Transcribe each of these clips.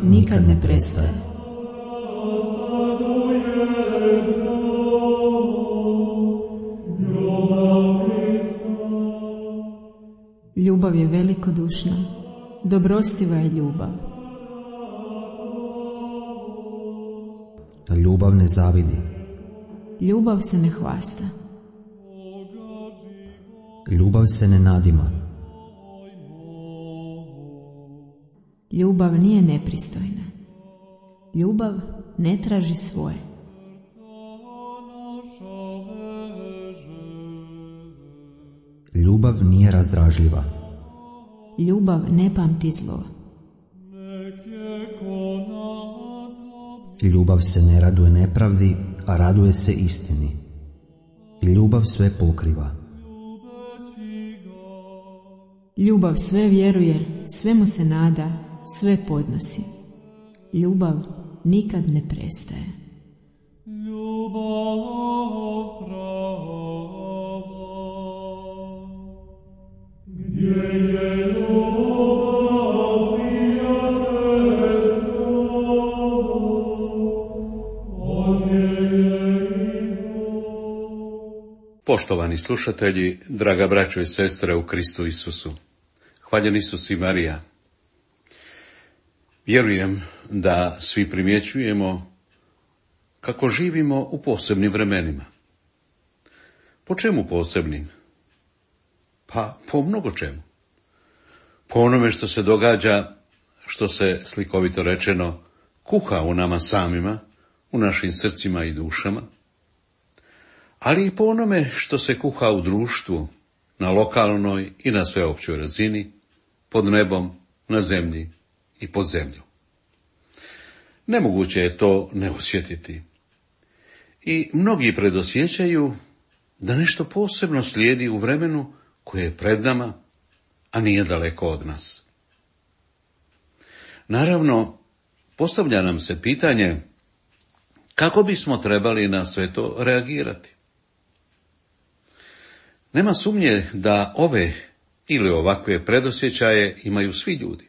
nikad ne prestaje. Ljubav je velikodušna, dobrostiva je ljubav. Ljubav ne zavidi. Ljubav se ne hvasta. Ljubav se ne nadima. Ljubav nije nepristojna. Ljubav ne traži svoje. Ljubav nije razdražljiva. Ljubav ne pamti zlo. Ljubav se ne raduje nepravdi, a raduje se istini. Ljubav sve pokriva. Ljubav sve vjeruje, svemu se nada, sve podnosi. Ljubav nikad ne prestaje. Poštovani slušatelji, draga braćo i sestre u Kristu Isusu, hvaljen Isus i Marija. Vjerujem da svi primjećujemo kako živimo u posebnim vremenima. Po čemu posebnim? Pa po mnogo čemu. Po onome što se događa, što se, slikovito rečeno, kuha u nama samima, u našim srcima i dušama, ali i po onome što se kuha u društvu, na lokalnoj i na sveopćoj razini, pod nebom, na zemlji i pod zemlju. Nemoguće je to ne osjetiti. I mnogi predosjećaju da nešto posebno slijedi u vremenu koje je pred nama, a nije daleko od nas. Naravno, postavlja nam se pitanje kako bismo trebali na sve to reagirati. Nema sumnje da ove ili ovakve predosjećaje imaju svi ljudi.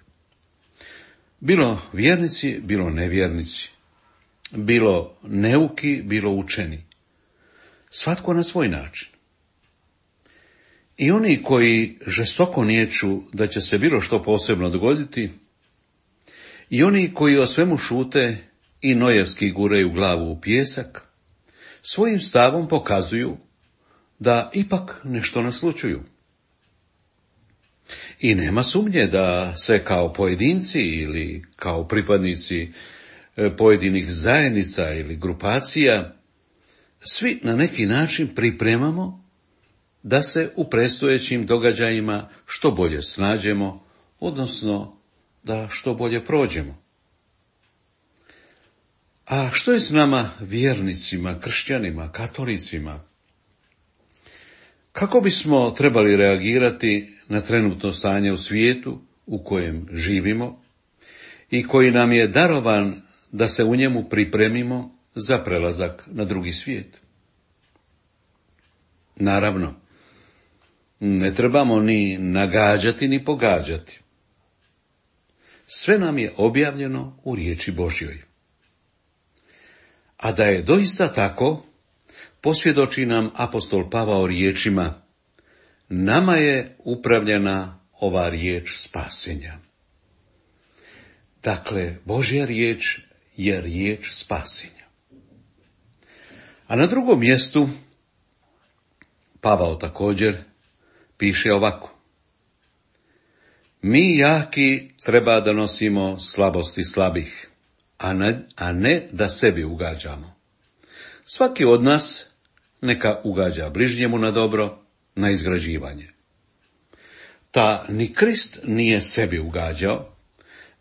Bilo vjernici, bilo nevjernici, bilo neuki, bilo učeni. Svatko na svoj način. I oni koji žestoko niječu da će se bilo što posebno dogoditi, i oni koji o svemu šute i nojevski guraju glavu u pijesak, svojim stavom pokazuju da ipak nešto naslućuju. I nema sumnje da se kao pojedinci ili kao pripadnici pojedinih zajednica ili grupacija svi na neki način pripremamo da se u predstojećim događajima što bolje snađemo, odnosno da što bolje prođemo. A što je s nama vjernicima, kršćanima, katolicima? Kako bismo trebali reagirati na trenutno stanje u svijetu u kojem živimo i koji nam je darovan da se u njemu pripremimo za prelazak na drugi svijet? Naravno, ne trebamo ni nagađati ni pogađati. Sve nam je objavljeno u riječi Božjoj. A da je doista tako, posvjedoči nam apostol Pavao riječima: nama je upravljena ova riječ spasenja. Dakle, Božja riječ je riječ spasenja. A na drugom mjestu Pavao također piše ovako: mi jaki treba da nosimo slabosti slabih, a ne da sebi ugađamo. Svaki od nas neka ugađa bližnjemu na dobro, na izgrađivanje. Ta ni Krist nije sebi ugađao,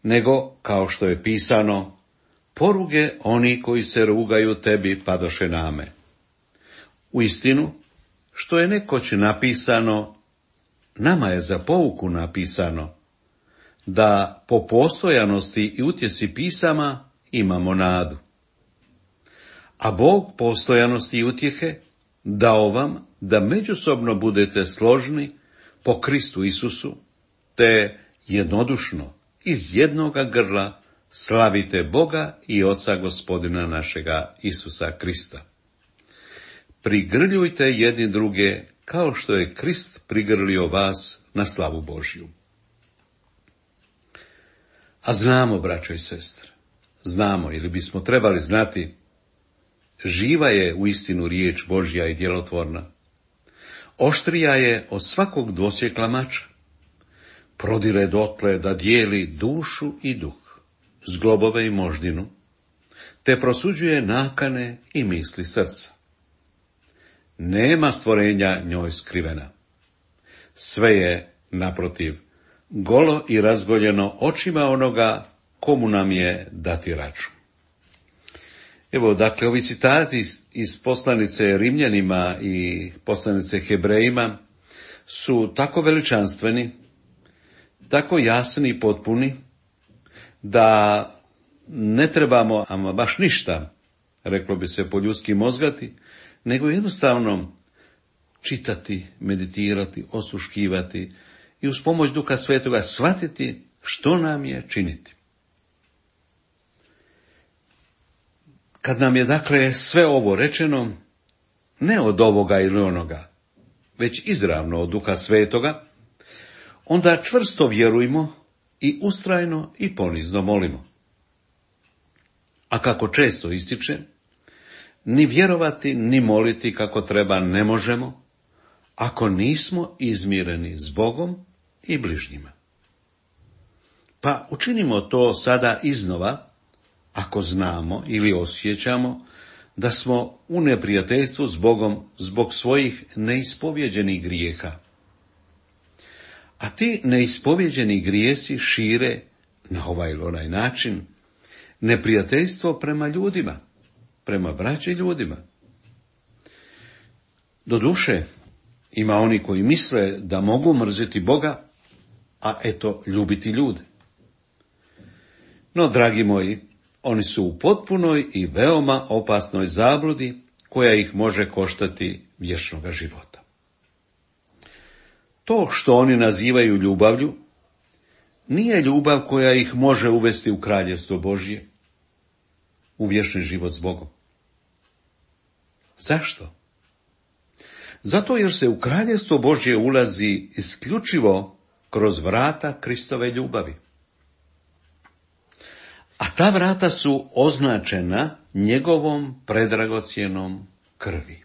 nego, kao što je pisano, poruge oni koji se rugaju tebi padoše name. Uistinu, što je nekoć napisano, nama je za pouku napisano, da po postojanosti i utjeci pisama imamo nadu. A Bog postojanosti i utjehe dao vam da međusobno budete složni po Kristu Isusu, te jednodušno iz jednoga grla slavite Boga i Oca Gospodina našega Isusa Krista. Prigrljujte jedni druge kao što je Krist prigrlio vas na slavu Božju. A znamo, braćo i sestre, znamo ili bismo trebali znati, živa je uistinu riječ Božja i djelotvorna. Oštrija je od svakog dvosjekla mača. Prodire dotle da dijeli dušu i duh, zglobove i moždinu, te prosuđuje nakane i misli srca. Nema stvorenja njoj skrivena. Sve je, naprotiv, golo i razgoljeno očima onoga komu nam je dati račun. Evo, dakle, ovi citati iz poslanice Rimljanima i poslanice Hebrejima su tako veličanstveni, tako jasni i potpuni, da ne trebamo ama baš ništa, reklo bi se po ljudski mozgati, nego jednostavno čitati, meditirati, osluškivati i uz pomoć Duha Svetoga shvatiti što nam je činiti. Kad nam je dakle sve ovo rečeno, ne od ovoga ili onoga, već izravno od Duha Svetoga, onda čvrsto vjerujmo i ustrajno i ponizno molimo. A kako često ističe, ni vjerovati ni moliti kako treba ne možemo, ako nismo izmireni s Bogom i bližnjima. Pa učinimo to sada iznova, ako znamo ili osjećamo da smo u neprijateljstvu s Bogom zbog svojih neispovjeđenih grijeha. A ti neispovjeđeni grijesi šire na ovaj ili onaj način neprijateljstvo prema ljudima, prema braći ljudima. Doduše, ima oni koji misle da mogu mrziti Boga, a eto ljubiti ljude. No, dragi moji, oni su u potpunoj i veoma opasnoj zabludi koja ih može koštati vječnoga života. To što oni nazivaju ljubavlju, nije ljubav koja ih može uvesti u kraljevstvo Božje, u vječni život s Bogom. Zašto? Zato jer se u kraljevstvo Božje ulazi isključivo kroz vrata Kristove ljubavi. A ta vrata su označena njegovom predragocjenom krvi.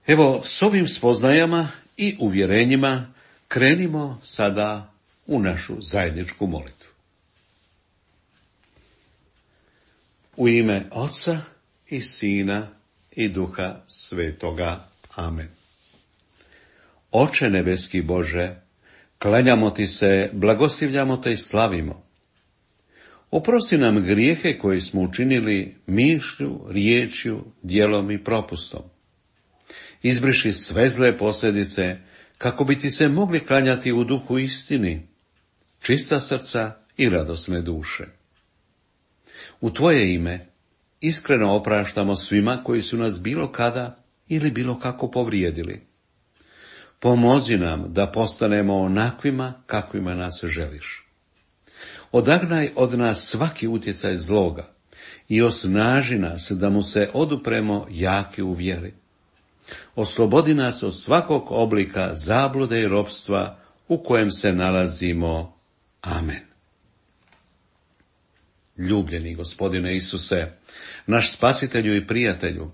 Evo, s ovim spoznajama i uvjerenjima krenimo sada u našu zajedničku molitvu. U ime Oca i Sina i Duha Svetoga. Amen. Oče nebeski Bože, klanjamo ti se, blagoslivljamo te i slavimo. Oprosti nam grijehe koje smo učinili mišlju, riječju, djelom i propustom. Izbriši sve zle posljedice, kako bi ti se mogli klanjati u duhu istini, čista srca i radosne duše. U tvoje ime iskreno opraštamo svima koji su nas bilo kada ili bilo kako povrijedili. Pomozi nam da postanemo onakvima kakvima nas želiš. Odagnaj od nas svaki utjecaj zloga i osnaži nas da mu se odupremo jaki u vjeri. Oslobodi nas od svakog oblika zablude i ropstva u kojem se nalazimo. Amen. Ljubljeni Gospodine Isuse, naš spasitelju i prijatelju,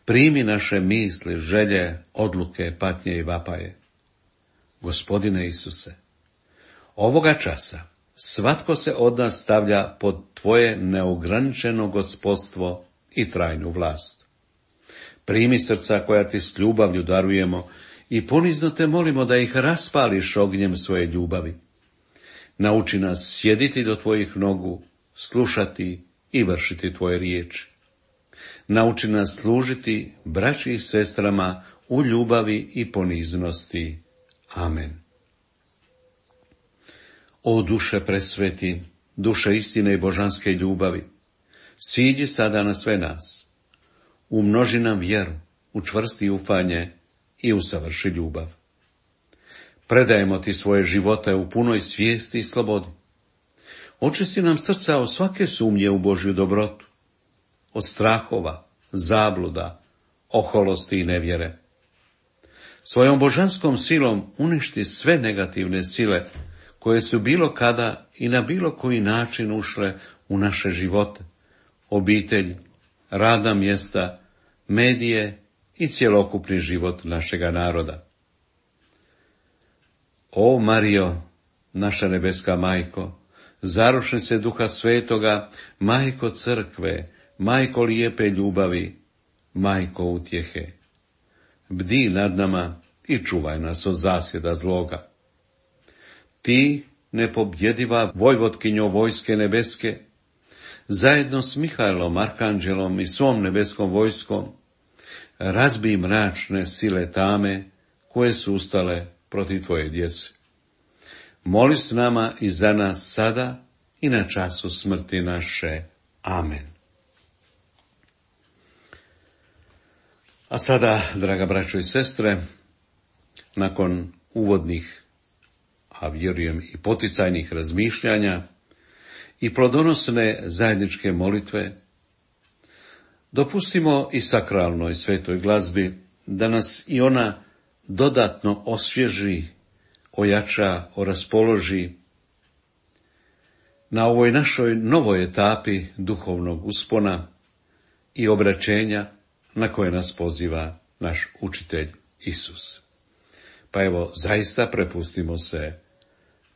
primi naše misli, želje, odluke, patnje i vapaje. Gospodine Isuse, ovoga časa svatko se od nas stavlja pod tvoje neograničeno gospodstvo i trajnu vlast. Primi srca koja ti s ljubavlju darujemo i ponizno te molimo da ih raspališ ognjem svoje ljubavi. Nauči nas sjediti do tvojih nogu, slušati i vršiti tvoje riječi. Nauči nas služiti braći i sestrama u ljubavi i poniznosti. Amen. O duše presveti, duše istine i božanske ljubavi, siđi sada na sve nas. Umnoži nam vjeru, učvrsti ufanje i usavrši ljubav. Predajemo ti svoje živote u punoj svijesti i slobodi. Očisti nam srca od svake sumnje u Božju dobrotu, od strahova, zabluda, oholosti i nevjere. Svojom božanskom silom uništi sve negativne sile koje su bilo kada i na bilo koji način ušle u naše živote, obitelj, radna mjesta, medije i cjelokupni život našega naroda. O Marijo, naša nebeska majko, zaručnice Duha Svetoga, majko crkve, majko lijepe ljubavi, majko utjehe, bdi nad nama i čuvaj nas od zasjeda zloga. Ti, nepobjediva vojvotkinjo vojske nebeske, zajedno s Mihajlom, arkanđelom i svom nebeskom vojskom, razbij mračne sile tame koje su ustale protiv tvoje djece. Moli s nama i za nas sada i na času smrti naše. Amen. A sada, draga braćo i sestre, nakon uvodnih, a vjerujem i poticajnih razmišljanja i plodonosne zajedničke molitve, dopustimo i sakralnoj svetoj glazbi da nas i ona dodatno osvježi, ojača, oraspoloži na ovoj našoj novoj etapi duhovnog uspona i obraćenja na koje nas poziva naš učitelj Isus. Pa evo, zaista prepustimo se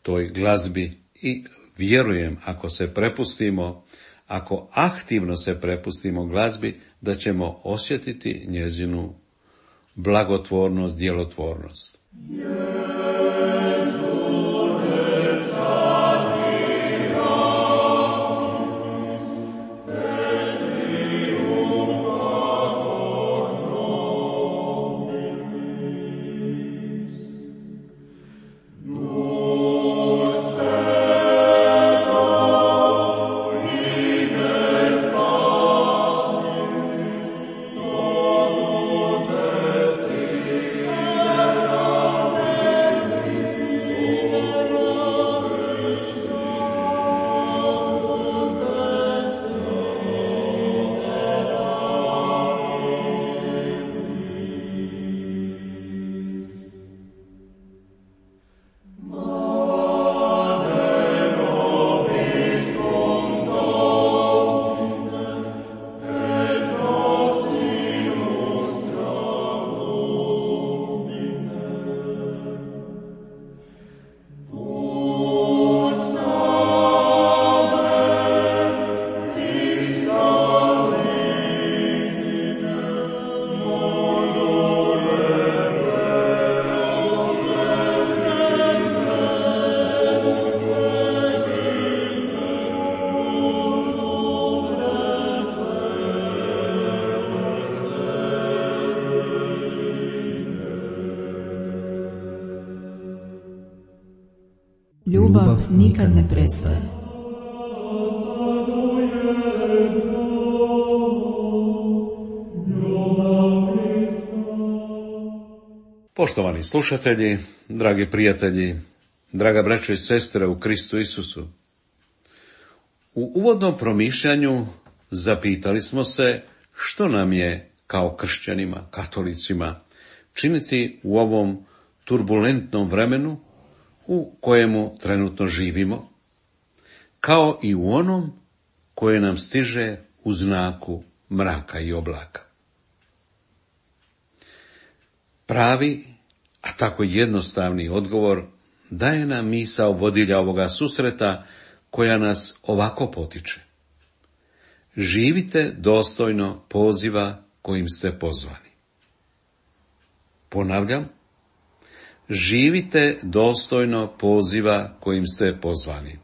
toj glazbi i vjerujem, ako se prepustimo, ako aktivno se prepustimo glazbi, da ćemo osjetiti njezinu blagotvornost, djelotvornost. Ljubav nikad ne prestaje. Poštovani slušatelji, dragi prijatelji, draga braćo i sestre u Kristu Isusu, u uvodnom promišljanju zapitali smo se što nam je kao kršćanima, katolicima, činiti u ovom turbulentnom vremenu u kojemu trenutno živimo, kao i u onom koje nam stiže u znaku mraka i oblaka. Pravi, a tako jednostavni odgovor daje nam misao vodilja ovoga susreta koja nas ovako potiče. Živite dostojno poziva kojim ste pozvani. Ponavljam, živite dostojno poziva kojim ste pozvani.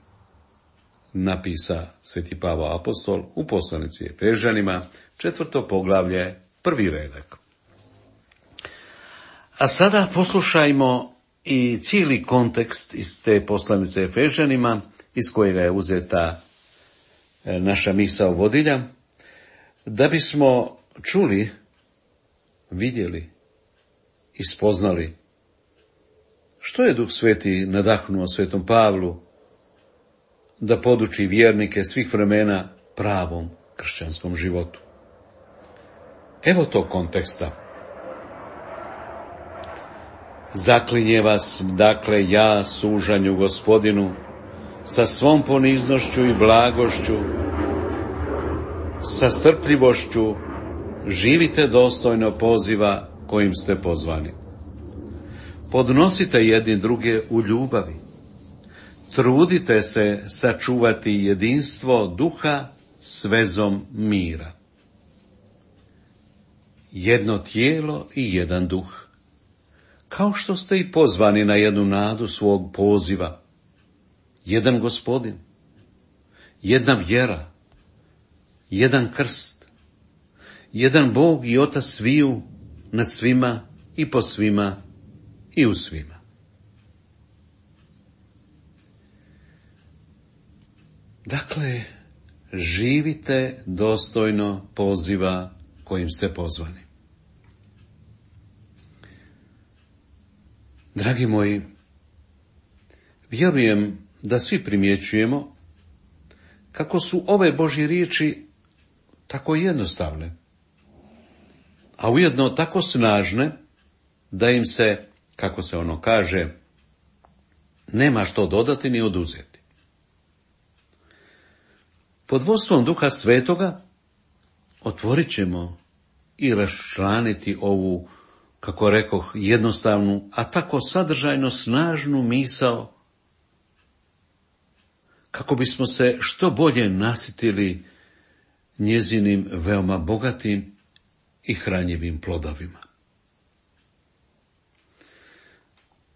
Napisa Sveti Pavao apostol u poslanici Efežanima, 4. poglavlje, 1. redak. A sada poslušajmo i cijeli kontekst iz te poslanice Efežanima, iz kojega je uzeta naša misao vodilja, da bismo čuli, vidjeli i spoznali što je Duh Sveti nadahnuo Svetom Pavlu, da poduči vjernike svih vremena pravom kršćanskom životu. Evo tog konteksta. Zaklinje vas, dakle, ja sužanju Gospodinu, sa svom poniznošću i blagošću, sa strpljivošću, živite dostojno poziva kojim ste pozvani. Podnosite jedni druge u ljubavi. Trudite se sačuvati jedinstvo duha s vezom mira. Jedno tijelo i jedan duh. Kao što ste i pozvani na jednu nadu svog poziva. Jedan Gospodin, jedna vjera, jedan krst, jedan Bog i Otac sviju, nad svima i po svima i u svima. Dakle, živite dostojno poziva kojim ste pozvani. Dragi moji, vjerujem da svi primjećujemo kako su ove Božje riječi tako jednostavne, a ujedno tako snažne da im se, kako se ono kaže, nema što dodati ni oduzeti. Pod vodstvom Duha Svetoga otvorit ćemo i raščlaniti ovu, kako rekoh, jednostavnu, a tako sadržajno snažnu misao, kako bismo se što bolje nasitili njezinim veoma bogatim i hranjivim plodovima.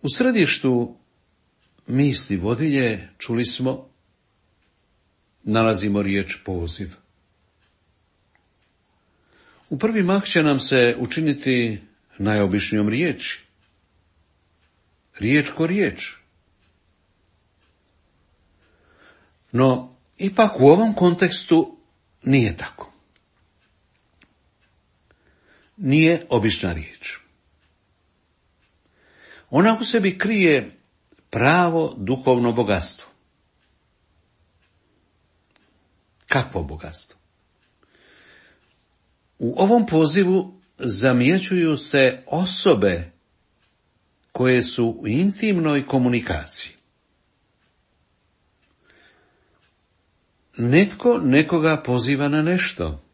U središtu misli vodilje, čuli smo, nalazimo riječ poziv. U prvi mah će nam se učiniti najobičnijom riječi. Riječ ko riječ. No, ipak u ovom kontekstu nije tako. Nije obična riječ. Ona u sebi krije pravo duhovno bogatstvo. Kakvo bogatstvo? U ovom pozivu zamjećuju se osobe koje su u intimnoj komunikaciji. Netko nekoga poziva na nešto.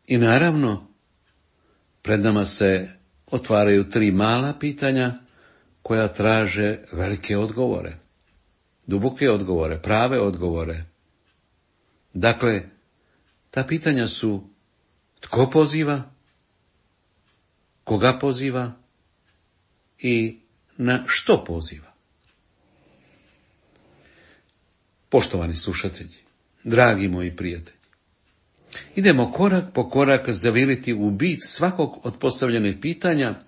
I naravno, pred nama se otvaraju 3 mala pitanja koja traže velike odgovore, duboke odgovore, prave odgovore. Dakle, ta pitanja su: tko poziva, koga poziva i na što poziva. Poštovani slušatelji, dragi moji prijatelji, idemo korak po korak zaviriti u bit svakog od postavljenih pitanja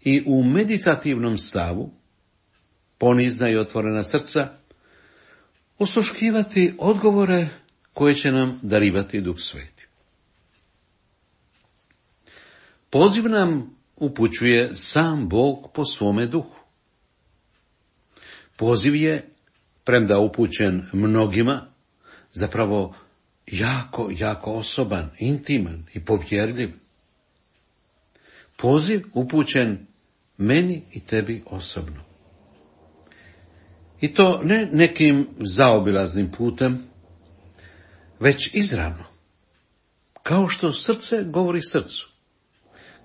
i u meditativnom stavu, ponizna i otvorena srca, osluškivati odgovore koje će nam darivati Duh Sveti. Poziv nam upućuje sam Bog po svome duhu. Poziv je, premda upućen mnogima, zapravo jako osoban, intiman i povjerljiv. Poziv upućen meni i tebi osobno. I to ne nekim zaobilaznim putem, već izravno. Kao što srce govori srcu.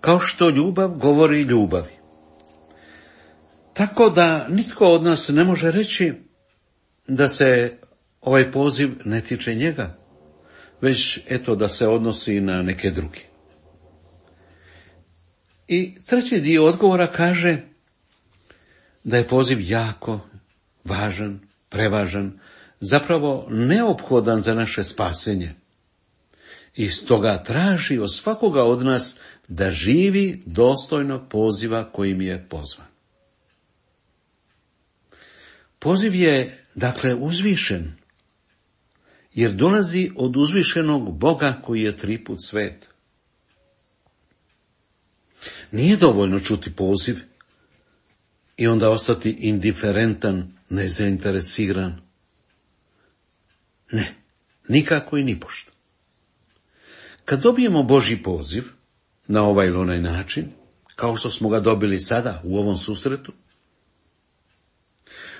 Kao što ljubav govori ljubavi. Tako da nitko od nas ne može reći da se ovaj poziv ne tiče njega, već eto da se odnosi na neke druge. I treći dio odgovora kaže da je poziv jako važan, prevažan, zapravo neophodan za naše spasenje. I stoga traži od svakoga od nas da živi dostojno poziva kojim je pozvan. Poziv je, dakle, uzvišen, jer dolazi od uzvišenog Boga koji je 3 put svet. Nije dovoljno čuti poziv, i onda ostati indiferentan, nezainteresiran. Ne, nikako i nipošto. Kad dobijemo Božji poziv na ovaj ili onaj način, kao što smo ga dobili sada u ovom susretu,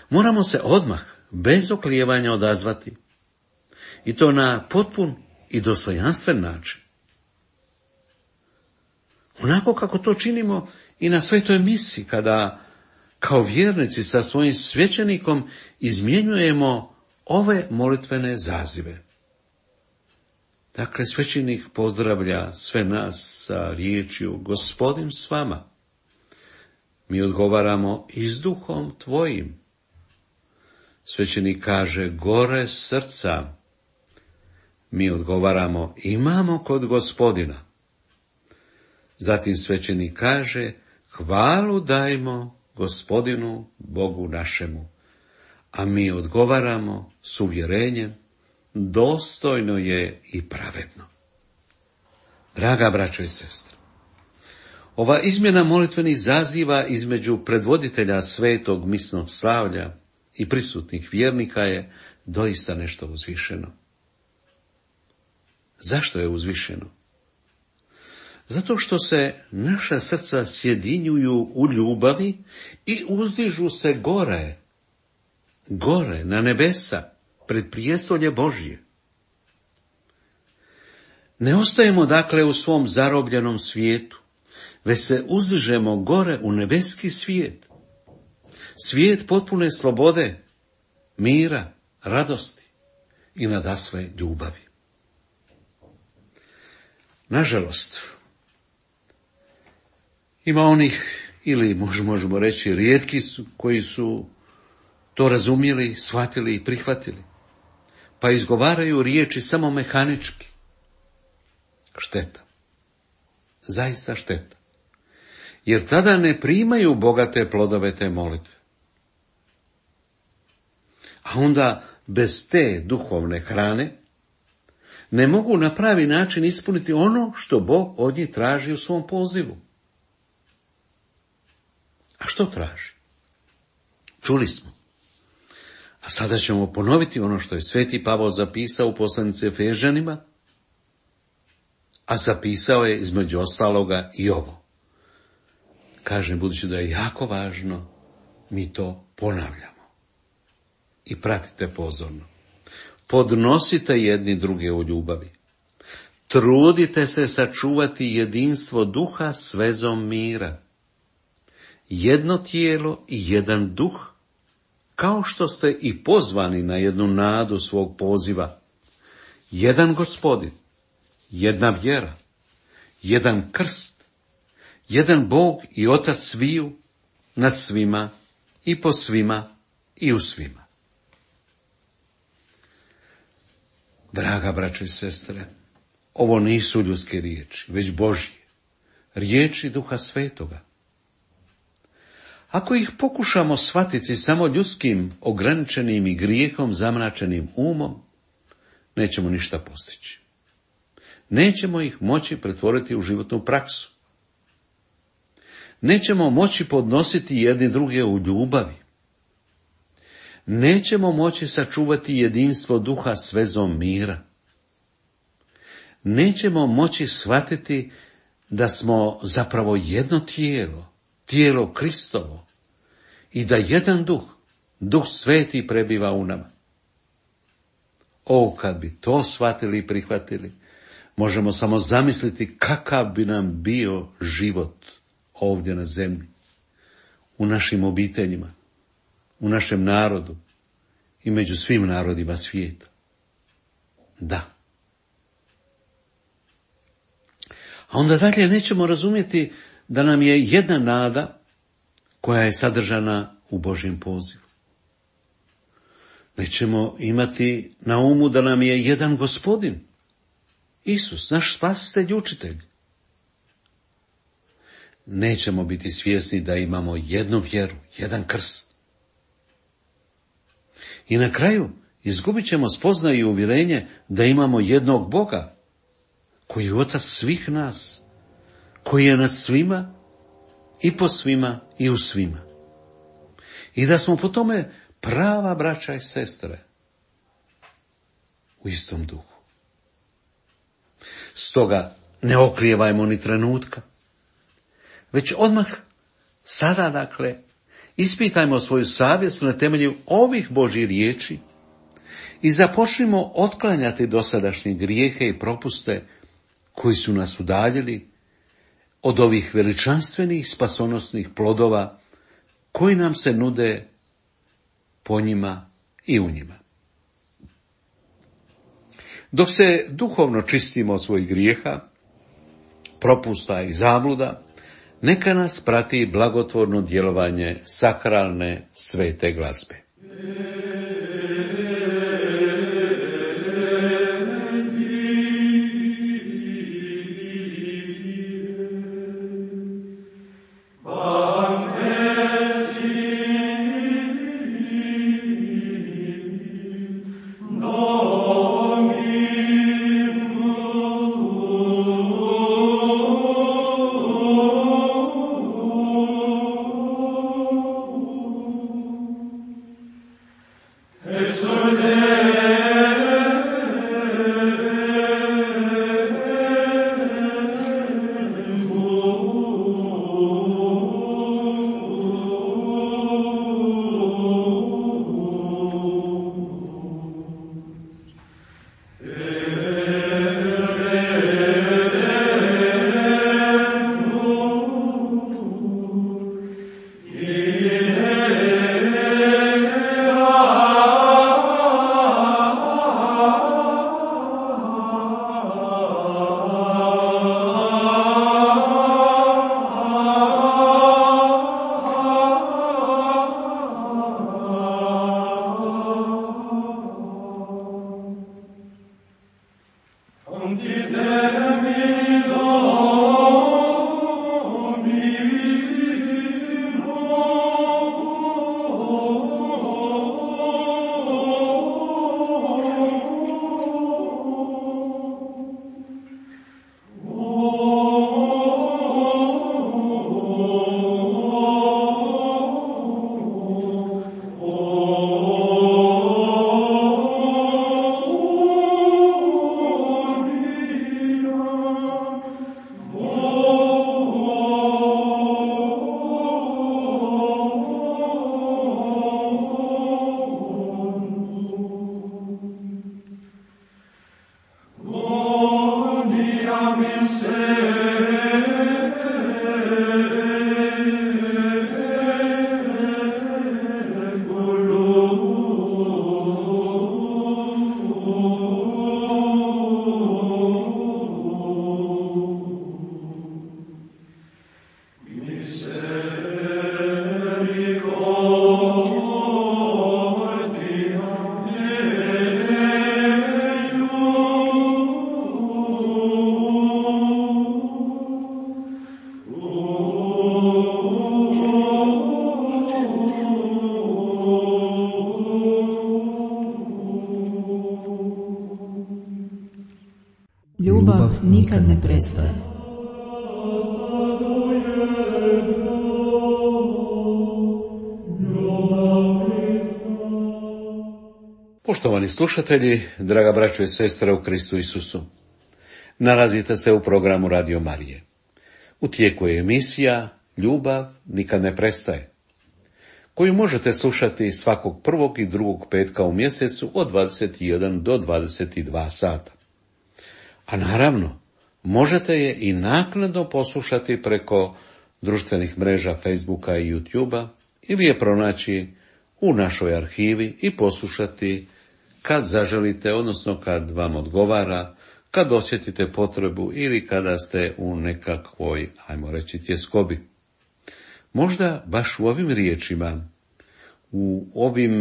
moramo se odmah, bez oklijevanja odazvati, i to na potpun i dostojanstven način. Onako kako to činimo i na svetoj misi, kada kao vjernici sa svojim svećenikom izmjenjujemo ove molitvene zazive. Dakle, svećenik pozdravlja sve nas sa riječju Gospodin s vama. Mi odgovaramo i s duhom tvojim. Svećenik kaže gore srca. Mi odgovaramo imamo kod Gospodina. Zatim svećenik kaže hvalu dajmo Gospodinu Bogu našemu. A mi odgovaramo s uvjerenjem dostojno je i pravedno. Draga braćo i sestre, ova izmjena molitvenih zaziva između predvoditelja svetog misnog slavlja i prisutnih vjernika je doista nešto uzvišeno. Zašto je uzvišeno? Zato što se naša srca sjedinjuju u ljubavi i uzdižu se gore na nebesa, pred prijestolje Božje. Ne ostajemo dakle u svom zarobljenom svijetu, već se uzdižemo gore u nebeski svijet. Svijet potpune slobode, mira, radosti i nadasve ljubavi. Nažalost, ima onih, ili možemo reći rijetki su, koji su to razumjeli, shvatili i prihvatili, pa izgovaraju riječi samo mehanički. Šteta. Zaista šteta. Jer tada ne primaju bogate plodove te molitve. A onda bez te duhovne hrane ne mogu na pravi način ispuniti ono što Bog od njih traži u svom pozivu. A što traži? Čuli smo. A sada ćemo ponoviti ono što je sveti Pavao zapisao u poslanici Efežanima, a zapisao je između ostaloga i ovo. Kažem, budući da je jako važno, mi to ponavljamo. I pratite pozorno. Podnosite jedni druge u ljubavi. Trudite se sačuvati jedinstvo duha s vezom mira. Jedno tijelo i jedan duh, kao što ste i pozvani na jednu nadu svog poziva. Jedan Gospodin, jedna vjera, jedan krst, jedan Bog i Otac sviju, nad svima i po svima i u svima. Draga braćo i sestre, ovo nisu ljudske riječi, već Božje, riječi Duha Svetoga. Ako ih pokušamo shvatiti samo ljudskim, ograničenim i grijehom zamračenim umom, nećemo ništa postići. Nećemo ih moći pretvoriti u životnu praksu. Nećemo moći podnositi jedni druge u ljubavi. Nećemo moći sačuvati jedinstvo duha s vezom mira. Nećemo moći shvatiti da smo zapravo jedno tijelo, tijelo Kristovo, i da jedan duh, Duh Sveti prebiva u nama. O, kad bi to shvatili i prihvatili, možemo samo zamisliti kakav bi nam bio život ovdje na zemlji, u našim obiteljima, u našem narodu i među svim narodima svijeta. Da. A onda dalje nećemo razumjeti da nam je jedna nada koja je sadržana u Božjem pozivu. Nećemo imati na umu da nam je jedan Gospodin, Isus, naš spasitelj i učitelj. Nećemo biti svjesni da imamo jednu vjeru, jedan krst. I na kraju izgubit ćemo spoznaju i uvjerenje da imamo jednog Boga, koji je Otac svih nas, koji je nad svima i po svima i u svima. i da smo po tome prava braća i sestre u istom duhu. Stoga ne oklijevajmo ni trenutka, već odmah sada, dakle, ispitajmo svoju savjest na temelju ovih Božjih riječi i započnimo otklanjati dosadašnje grijehe i propuste koji su nas udaljili od ovih veličanstvenih spasonosnih plodova koji nam se nude po njima i u njima. Dok se duhovno čistimo od svojih grijeha, propusta i zabluda, neka nas prati blagotvorno djelovanje sakralne svete glazbe. Ljubav nikad ne prestaje. Poštovani slušatelji, draga braćo i sestre u Kristu Isusu, nalazite se u programu Radio Marije. U tijeku je emisija Ljubav nikad ne prestaje, koju možete slušati svakog prvog i drugog petka u mjesecu od 21 do 22 sata. A naravno, možete je i naknadno poslušati preko društvenih mreža Facebooka i YouTubea ili je pronaći u našoj arhivi i poslušati kad zaželite, odnosno kad vam odgovara, kad osjetite potrebu ili kada ste u nekakvoj, ajmo reći, tjeskobi. Možda baš u ovim riječima, u ovim,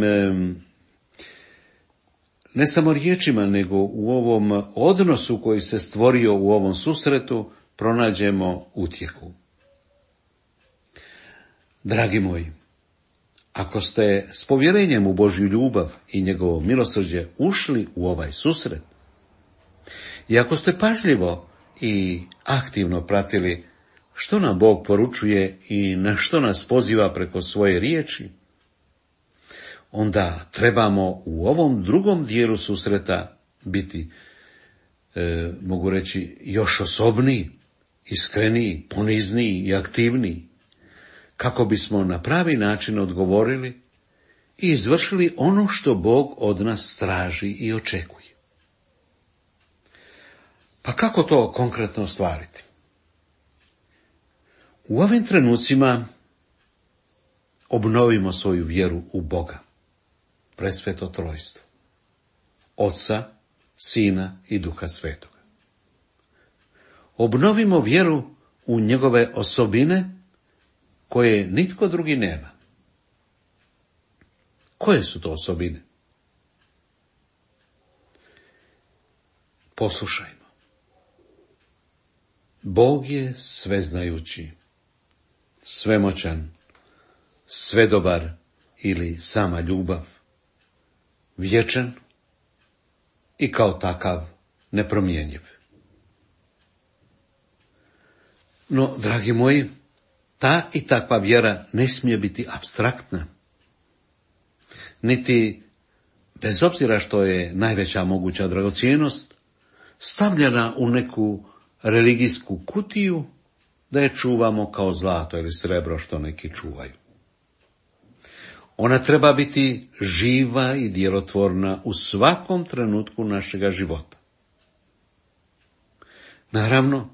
ne samo riječima, nego u ovom odnosu koji se stvorio u ovom susretu, pronađemo utjehu. Dragi moji, ako ste s povjerenjem u Božju ljubav i njegovo milosrđe ušli u ovaj susret, i ako ste pažljivo i aktivno pratili što nam Bog poručuje i na što nas poziva preko svoje riječi, onda trebamo u ovom drugom dijelu susreta biti, mogu reći, još osobniji, iskreniji, ponizniji i aktivniji, kako bismo na pravi način odgovorili i izvršili ono što Bog od nas traži i očekuje. Pa kako to konkretno ostvariti? U ovim trenucima obnovimo svoju vjeru u Boga, presveto trojstvo, Oca, Sina i Duha Svetoga. Obnovimo vjeru u njegove osobine koje nitko drugi nema. Koje su to osobine? Poslušajmo. Bog je sveznajući, svemoćan, svedobar ili sama ljubav, vječan i kao takav nepromjenjiv. No, dragi moji, ta i takva vjera ne smije biti apstraktna, niti, bez obzira što je najveća moguća dragocjenost, stavljena u neku religijsku kutiju da je čuvamo kao zlato ili srebro što neki čuvaju. Ona treba biti živa i djelotvorna u svakom trenutku našega života. Naravno,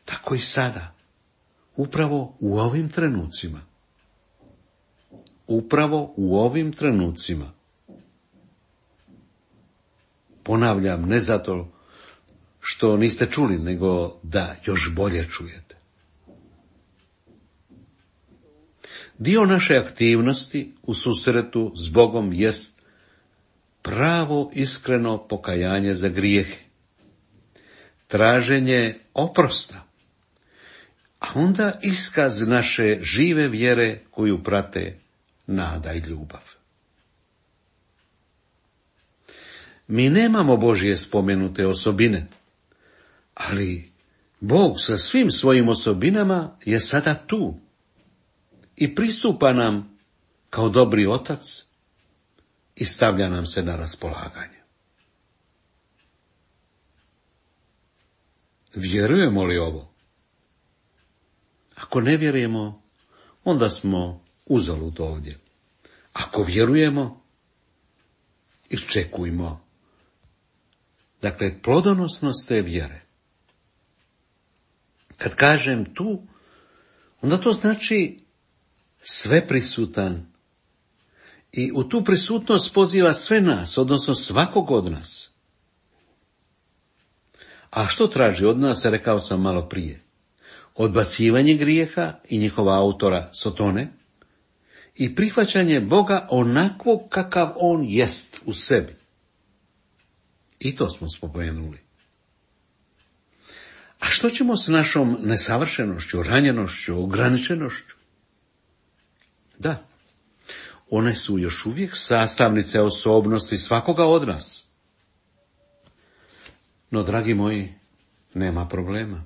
tako i sada, upravo u ovim trenucima. Upravo u ovim trenucima. Ponavljam, ne zato što niste čuli, nego da još bolje čujete. Dio naše aktivnosti u susretu s Bogom jest pravo iskreno pokajanje za grijehe, traženje oprosta, a onda iskaz naše žive vjere koju prate nada i ljubav. Mi nemamo Božje spomenute osobine, ali Bog sa svim svojim osobinama je sada tu i pristupa nam kao dobri otac i stavlja nam se na raspolaganje. Vjerujemo li ovo? Ako ne vjerujemo, onda smo uzalud ovdje. Ako vjerujemo, iščekujmo. Dakle, plodonosnost te vjere. Kad kažem tu, onda to znači sveprisutan i u tu prisutnost poziva sve nas, odnosno svakog od nas. A što traži od nas, rekao sam malo prije? Odbacivanje grijeha i njihova autora Sotone i prihvaćanje Boga onakvog kakav on jest u sebi. I to smo spomenuli. A što ćemo s našom nesavršenošću, ranjenošću, ograničenošću? Da, one su još uvijek sastavnice osobnosti svakoga od nas. No, dragi moji, nema problema.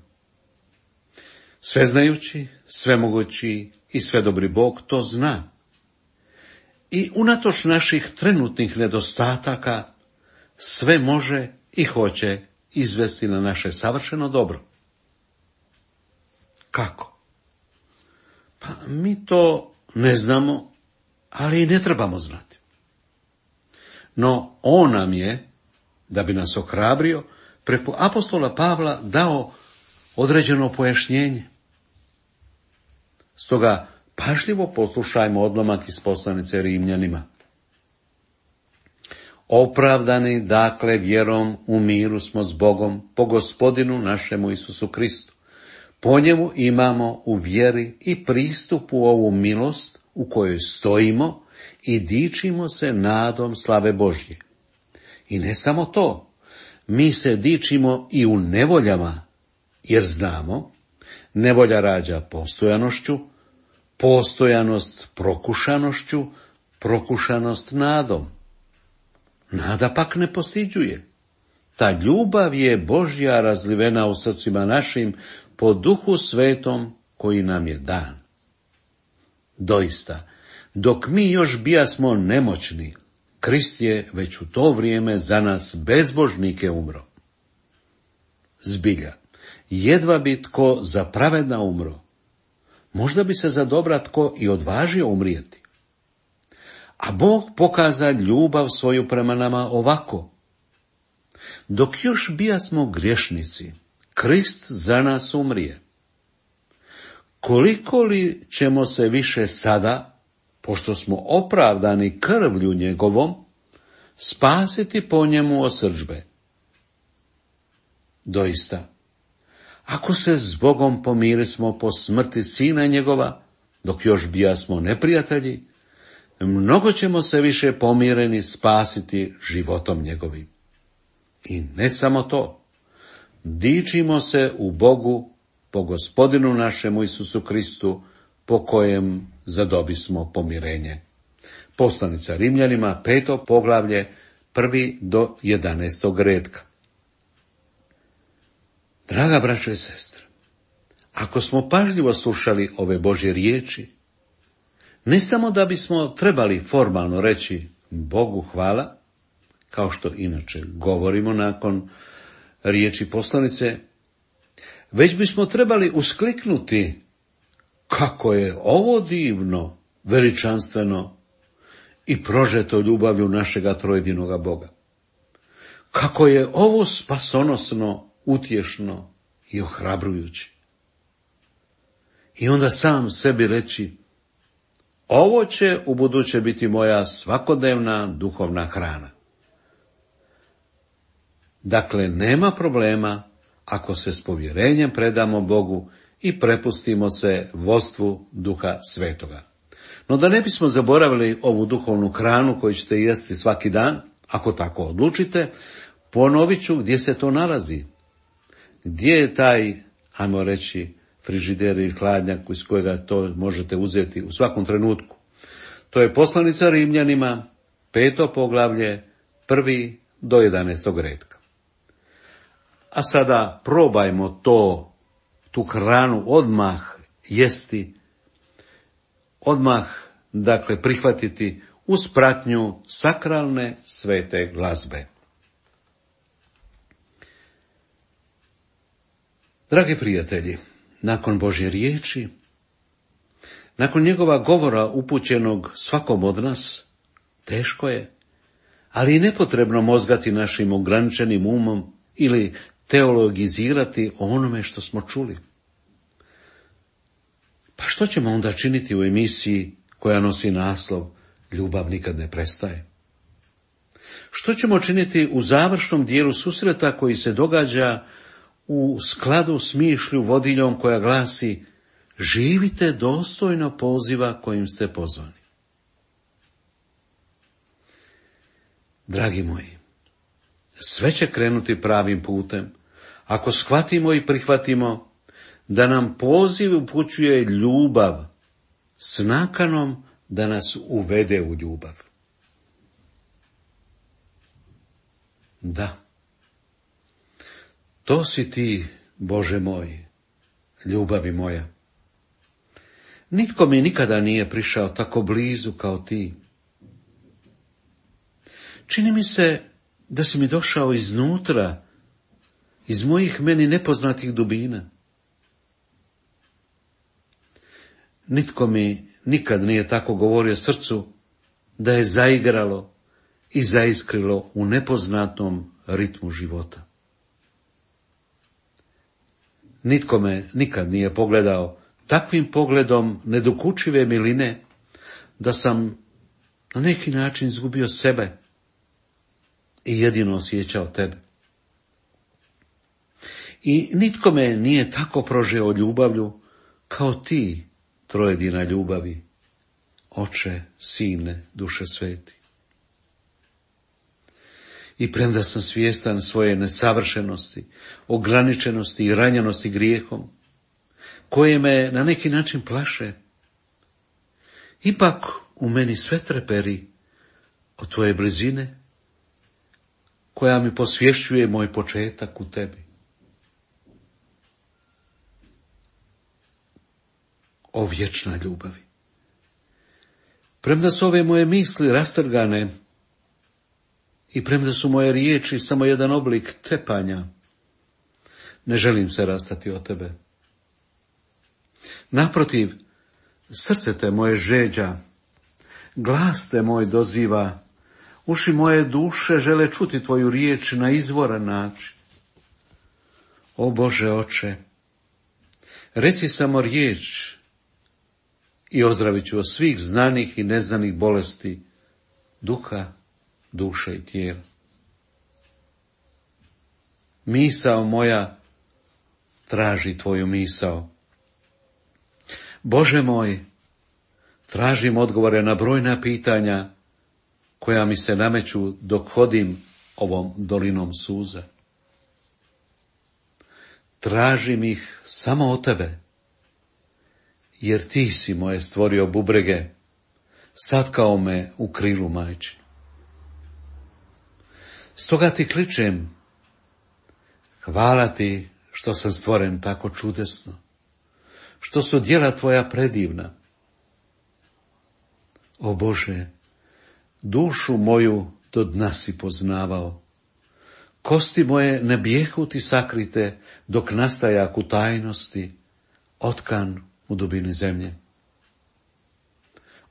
Sveznajući, svemogući i svedobri Bog to zna. I unatoč naših trenutnih nedostataka sve može i hoće izvesti na naše savršeno dobro. Kako? Pa mi to ne znamo, ali i ne trebamo znati. No on nam je, da bi nas ohrabrio, preko apostola Pavla dao određeno pojašnjenje. Stoga pažljivo poslušajmo odlomak iz poslanice Rimljanima. Opravdani, dakle, vjerom u miru smo s Bogom po Gospodinu našemu Isusu Kristu. Po njemu imamo u vjeri i pristup u ovu milost u kojoj stojimo i dičimo se nadom slave Božje. I ne samo to, mi se dičimo i u nevoljama, jer znamo, nevolja rađa postojanošću, postojanost prokušanošću, prokušanost nadom. Nada pak ne postiđuje. Ta ljubav je Božja razlivena u srcima našim po Duhu Svetom koji nam je dan. Doista, Dok mi još bijasmo nemoćni, Krist je već u to vrijeme za nas bezbožnike umro. Zbilja, jedva bi tko za pravedna umro, možda bi se za dobra tko i odvažio umrijeti. A Bog pokaza ljubav svoju prema nama ovako. Dok još bijasmo griješnici, Krist za nas umrije. Koliko li ćemo se više sada, pošto smo opravdani krvlju njegovom, spasiti po njemu od srdžbe? Doista, ako se s Bogom pomirismo po smrti sina njegova, dok još bijasmo neprijatelji, mnogo ćemo se više pomireni spasiti životom njegovim. I ne samo to, dičimo se u Bogu po Gospodinu našemu Isusu Kristu, po kojem zadobismo pomirenje. Poslanica Rimljanima, 5. poglavlje, 1. do 11. redka. Draga braćo i sestre, ako smo pažljivo slušali ove Božje riječi, ne samo da bismo trebali formalno reći Bogu hvala, kao što inače govorimo nakon riječi poslanice, već bismo trebali uskliknuti kako je ovo divno, veličanstveno i prožeto ljubavlju našega trojedinoga Boga. Kako je ovo spasonosno, utješno i ohrabrujuće. I onda sam sebi reći, ovo će ubuduće biti moja svakodnevna duhovna hrana. Dakle, nema problema ako se s povjerenjem predamo Bogu i prepustimo se vodstvu Duha Svetoga. No da ne bismo zaboravili ovu duhovnu hranu koju ćete jesti svaki dan, ako tako odlučite, ponovit ću gdje se to nalazi. Gdje je taj, ajmo reći, frižider ili hladnjak iz kojega to možete uzeti u svakom trenutku. To je poslanica Rimljanima, 5. poglavlje, 1. do 11. redka. A sada probajmo tu hranu odmah jesti, odmah, dakle, prihvatiti uz pratnju sakralne svete glazbe. Dragi prijatelji, nakon Božje riječi, nakon njegova govora upućenog svakom od nas, teško je, ali i nepotrebno mozgati našim ograničenim umom ili teologizirati o onome što smo čuli. Pa što ćemo onda činiti u emisiji koja nosi naslov Ljubav nikad ne prestaje? Što ćemo činiti u završnom dijelu susreta koji se događa u skladu s mišlju vodiljom koja glasi živite dostojno poziva kojim ste pozvani? Dragi moji, sve će krenuti pravim putem ako shvatimo i prihvatimo da nam poziv upućuje ljubav s nakanom da nas uvede u ljubav. Da, to si ti, Bože moj, ljubavi moja. Nitko mi nikada nije prišao tako blizu kao ti. Čini mi se da si mi došao iznutra, iz mojih meni nepoznatih dubina. Nitko mi nikad nije tako govorio srcu da je zaigralo i zaiskrilo u nepoznatom ritmu života. Nitko me nikad nije pogledao takvim pogledom nedokučive miline da sam na neki način izgubio sebe i jedino osjećao tebe. I nitko me nije tako prožeo ljubavlju kao ti, trojedina ljubavi, Oče, Sine, Duše Sveti. I premda sam svjestan svoje nesavršenosti, ograničenosti i ranjenosti grijehom, koje me na neki način plaše, ipak u meni sve treperi od tvoje blizine, koja mi posvješćuje moj početak u tebi. O vječna ljubavi, Premda su ove moje misli rastrgane i premda su moje riječi samo jedan oblik tepanja, ne želim se rastati od tebe. Naprotiv, srce te moje žeđa, glas te moj doziva, uši moje duše žele čuti tvoju riječ na izvoran način. O Bože oče, reci samo riječ i ozdravit ću od svih znanih i neznanih bolesti duha, duše i tijela. Misao moja traži tvoju misao. Bože moj, tražim odgovore na brojna pitanja koja mi se nameću dok hodim ovom dolinom suza. Tražim ih samo od tebe, jer ti si moje stvorio bubrege, satkao me u krilu majčinu. Stoga ti kličem, hvala ti što sam stvoren tako čudesno, što su djela tvoja predivna. O Bože, dušu moju do dna si poznavao, kosti moje ne bijehu ti sakrite, dok nastajak u tajnosti, otkan u dubini zemlje.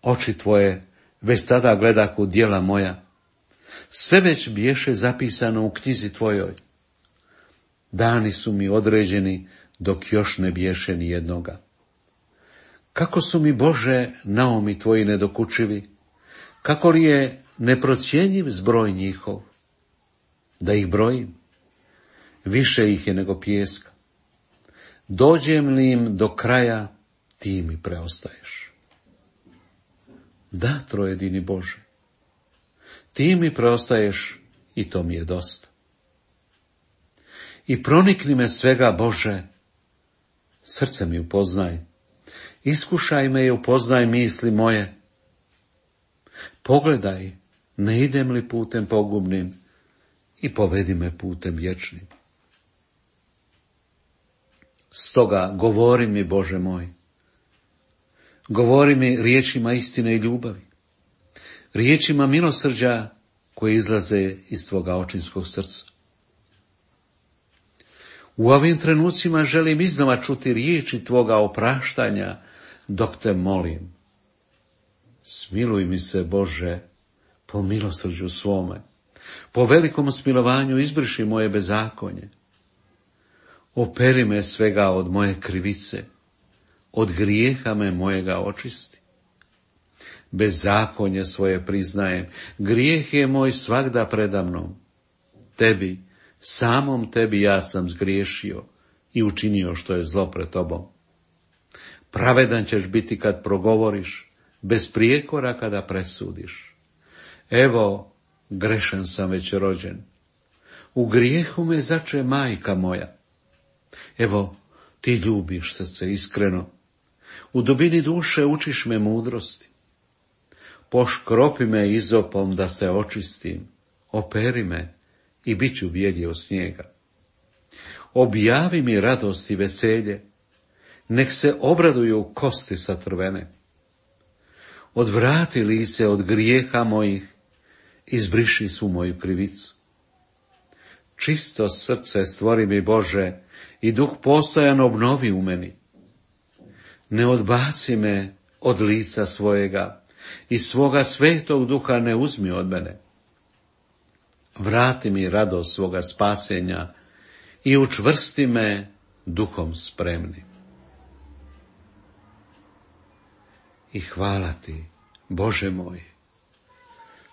Oči tvoje već tada gledaku djela moja, sve već biješe zapisano u knjizi tvojoj. Dani su mi određeni, dok još ne biješe ni jednoga. Kako su mi, Bože, naumi tvoji nedokučivi, kako li je neprocjenjiv zbroj njihov. Da ih brojim, više ih je nego pijeska. Dođem li im do kraja, ti mi preostaješ. Da, trojedini Bože, ti mi preostaješ i to mi je dosta. I pronikni me svega, Bože, srce mi upoznaj, iskušaj me i upoznaj misli moje. Pogledaj, ne idem li putem pogubnim, i povedi me putem vječnim. Stoga govori mi, Bože moj, govori mi riječima istine i ljubavi, riječima milosrđa koje izlaze iz tvoga očinskog srca. U ovim trenucima želim iznova čuti riječi tvoga opraštanja, dok te molim. Smiluj mi se, Bože, po milosrđu svome, po velikom smilovanju izbriši moje bezakonje. Operi me svega od moje krivice, od grijeha me mojega očisti. Bezakonje svoje priznajem, grijeh je moj svagda predamnom. Tebi, samom tebi ja sam zgriješio i učinio što je zlo pred tobom. Pravedan ćeš biti kad progovoriš, bez prijekora kada presudiš. Evo, grešan sam već rođen, u grijehu me zače majka moja. Evo, ti ljubiš srce iskreno, u dubini duše učiš me mudrosti. Poškropi me izopom da se očistim, operi me i bit ću bijelji od snijega. Objavi mi radost i veselje, nek se obraduju kosti satrvene. Odvrati lice od grijeha mojih, izbriši svu moju krivicu. Čisto srce stvori mi, Bože, i duh postojan obnovi u meni. Ne odbaci me od lica svojega i svoga svetog duha ne uzmi od mene. Vrati mi radost svoga spasenja i učvrsti me duhom spremnim. I hvala ti, Bože moj,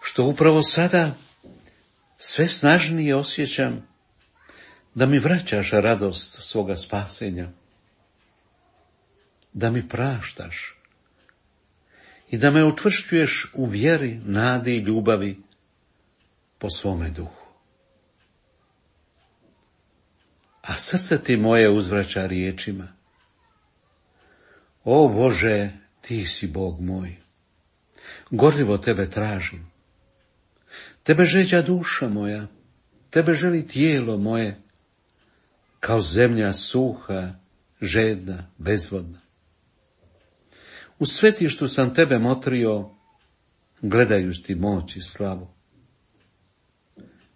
što upravo sada sve snažnije osjećam da mi vraćaš radost svoga spasenja, da mi praštaš i da me učvršćuješ u vjeri, nadi i ljubavi po svome duhu. A srce ti moje uzvraća riječima. O Bože, ti si Bog moj, gorljivo tebe tražim. Tebe žeđa duša moja, tebe želi tijelo moje, kao zemlja suha, žedna, bezvodna. U svetištu sam tebe motrio gledajući ti moć i slavu.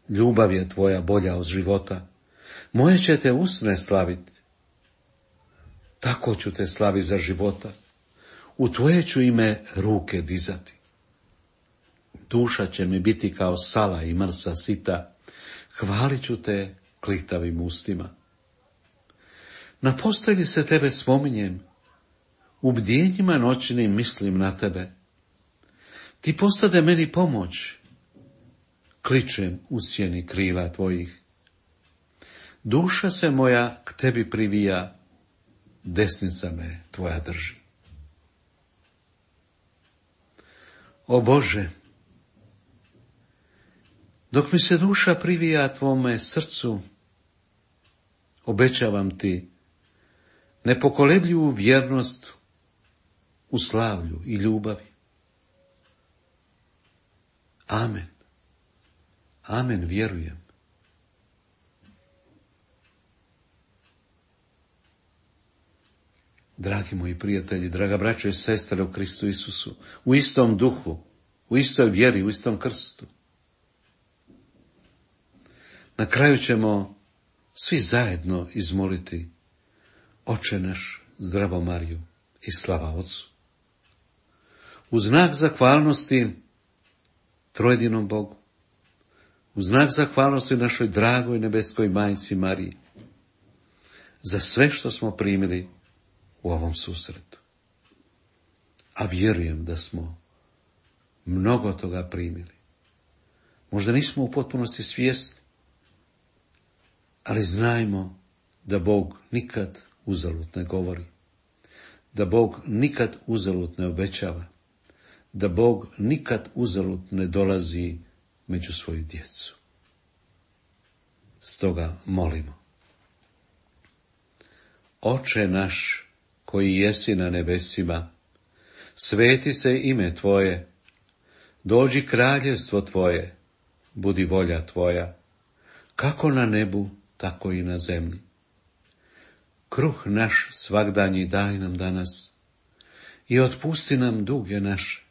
Ljubav je tvoja bolja od života, moje će te usne slaviti. Tako ću te slavi za života, u tvoje ću ime ruke dizati. Duša će mi biti kao sala i mrsa sita, hvalit ću te klihtavim ustima. Na postelji se tebe spominjem, u bdjenjima noćnim mislim na tebe. Ti postade meni pomoć, kličem u sjeni krila tvojih. Duša se moja k tebi privija, desnica me tvoja drži. O Bože, dok mi se duša privija tvome srcu, obećavam ti nepokolebljivu vjernost u slavlju i ljubavi. Amen. Amen, vjerujem. Dragi moji prijatelji, draga braćo i sestre u Kristu Isusu, u istom duhu, u istoj vjeri, u istom krstu. Na kraju ćemo svi zajedno izmoliti Oče naš, zdravo Mariju i slava Otcu. U znak zahvalnosti trojedinom Bogu, u znak zahvalnosti našoj dragoj nebeskoj majci Mariji, za sve što smo primili u ovom susretu. A vjerujem da smo mnogo toga primili. Možda nismo u potpunosti svjesni, ali znajmo da Bog nikad uzalud ne govori, da Bog nikad uzalud ne obećava, da Bog nikad uzalud ne dolazi među svoju djecu. Stoga molimo. Oče naš, koji jesi na nebesima, sveti se ime Tvoje, dođi kraljevstvo Tvoje, budi volja Tvoja, kako na nebu, tako i na zemlji. Kruh naš svagdanji daj nam danas i otpusti nam duge naše,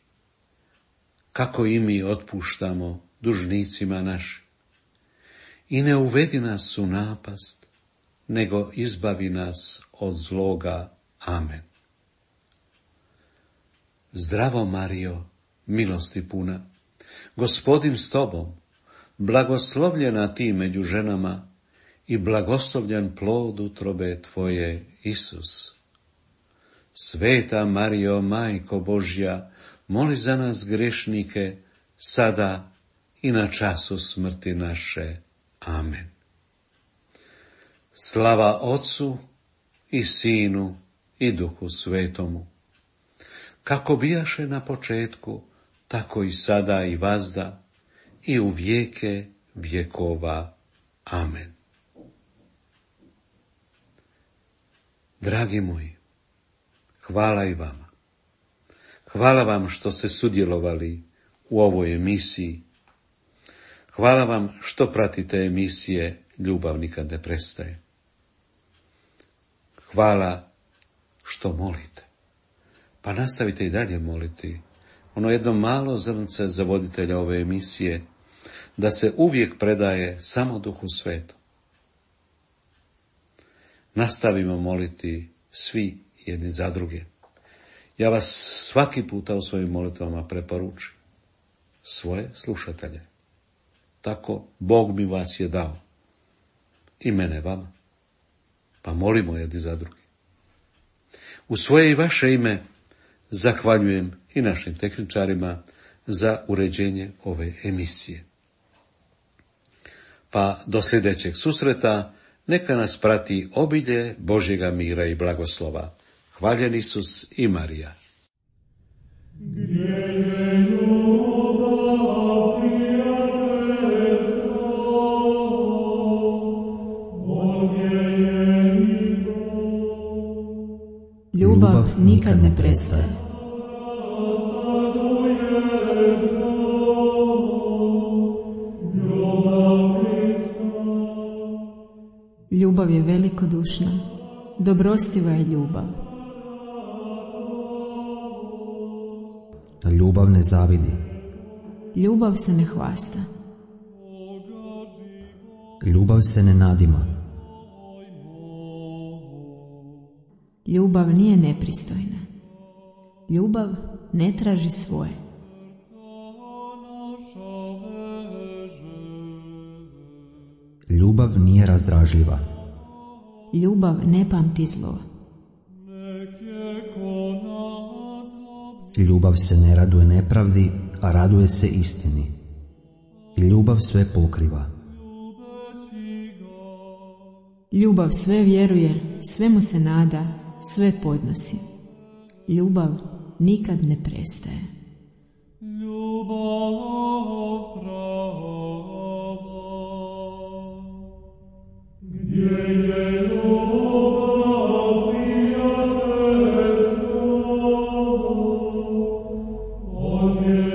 kako i mi otpuštamo dužnicima našim. I ne uvedi nas u napast, nego izbavi nas od zloga. Amen. Zdravo Marijo, milosti puna, Gospodin s tobom, blagoslovljena ti među ženama i blagoslovljen plod utrobe tvoje, Isus. Sveta Marijo, Majko Božja, moli za nas grešnike, sada i na času smrti naše. Amen. Slava Otcu i Sinu i Duhu Svetomu, kako bijaše na početku, tako i sada i vazda i u vijeke vjekova. Amen. Dragi moji, hvala i vama. Hvala vam što ste sudjelovali u ovoj emisiji. Hvala vam što pratite emisije Ljubav nikad ne prestaje. Hvala što molite. Pa nastavite i dalje moliti. Ono jedno malo zrnce za voditelja ove emisije, da se uvijek predaje samo Duhu Svetom. Nastavimo moliti svi jedni za druge. Ja vas svaki puta u svojim molitvama preporučujem. Svoje slušatelje. Tako Bog mi vas je dao. I mene vama. Pa molimo jedni za drugi. U svoje i vaše ime zahvaljujem i našim tehničarima za uređenje ove emisije. Pa do sljedećeg susreta neka nas prati obilje Božjega mira i blagoslova. Hvaljen Isus i Marija. Ljubav nikad ne prestaje. Ljubav je velikodušna, dobrostiva je ljubav. Ljubav ne zavidi, Ljubav se ne hvasta. Ljubav se ne nadima. Ljubav nije nepristojna. Ljubav ne traži svoje. Ljubav nije razdražljiva. Ljubav ne pamti zlo. Ljubav se ne raduje nepravdi, a raduje se istini. Ljubav sve pokriva. Ljubav sve vjeruje, svemu se nada, sve podnosi. Ljubav nikad ne prestaje. Amen.